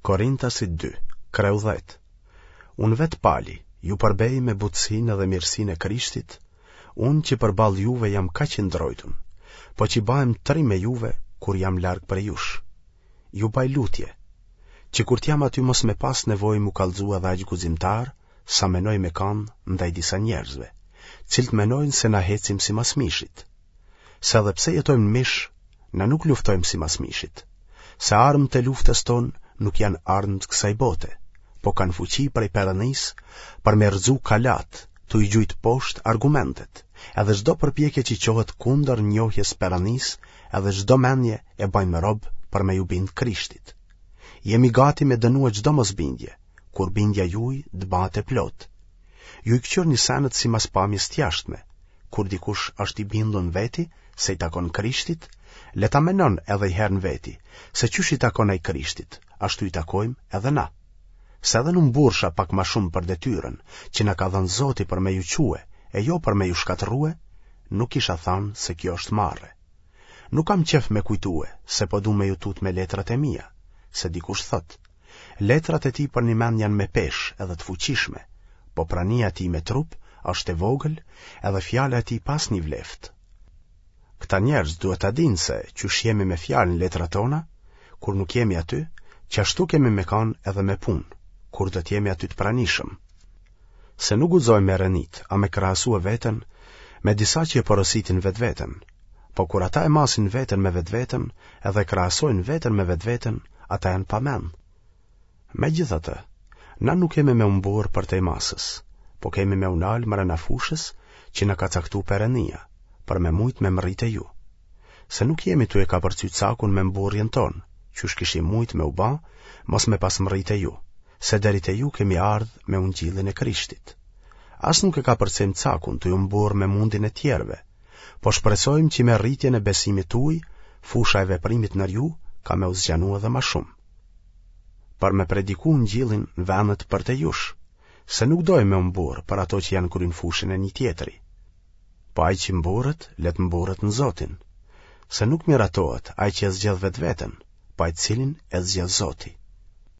Korintasit 2, kreu 10. Unë vetë Pali, ju përbej me butësinë dhe mirësinë e Krishtit, unë që përballë juve jam kaq i ndrojtun, po që bahem trim me juve kur jam larg prej jush. Ju baj lutje, që kur t'jam aty mos me pas nevojë m'u kallxu edhe aq guximtar, sa menoj me kanë ndaj disa njerëzve, cilët menojnë se na hecim simas mishit. Se edhe pse jetojmë në mish, na nuk luftojmë simas mishit. Se armët e luftës tonë nuk janë armë të kësaj bote, po kanë fuqi prej Perënisë për me rrëzu kalatë, tu i gjujt poshtë argumentet, edhe çdo përpjekje që çohet kundër njohjes Perënisë, edhe çdo mendje e bajmë rob për me ju bind Krishtit. Jemi gati me dënue çdo mosbindje, kur bindja juj të bahet e plotë. Ju i këqyrni senet simas pamjes të jashtme, kur dikush është i bindun në veti se i takon Krishtit, le ta menon edhe i herë në veti, se qysh i takon ai Krishtit, ashtu i takojmë edhe na. Se edhe n'u mburrsha pak ma shumë për detyrën, që na ka dhënë Zoti për me ju çue, e jo për me ju shkatërrue, nuk kisha thanë se kjo është marre. Nuk kam qef me kujtue, se po du me ju tut me letrat e mia, se dikush thotë, letrat e tij përnjëmend janë me peshë edhe të fuqishme, po prania e tij me trup është e vogël edhe fjala e tij pa asnjë vleftë. Këta njerëz duhet ta dinë se, qysh jemi me fjalë në letrat tona, kur nuk jemi aty, qashtu kemi me kanë edhe me punë, kur do të jemi aty të pranishëm. Se nuk guxojmë me renit, a me krahasue veten me disa që e porositin vetveten, po kur ata e masin veten me vetveten edhe e krahasojnë veten me vetveten, ata janë pa mend. Megjithatë, na nuk kemi me u mburrë përtej masës, po kemi me u nalë mrena fushës që na ka caktu Perënia, për me mujtë me mrri te ju. Se nuk jemi tu e kapërcy cakun me mburrjen tonë, qysh kishim mujtë me u ba, mos me pas mrri te ju, se deri te ju kemi ardhë me ungjillin e Krishtit. As nuk e kapërcejmë cakun tu u mburrë me mundin e tjerëve, po shpresojmë që me rritjen e besimit tuj, fusha e veprimit nër ju ka me u zgjanu edhe ma shumë. Për me prediku ungjillin në vendet përtej jush, se nuk dojmë me u mburrë për ato që janë kry në fushën e një tjetri. Po ai që mburret, le të mburret në Zotin. Se nuk miratohet ai që e zgjedh vetveten, po ai të cilin e zgjedh Zoti.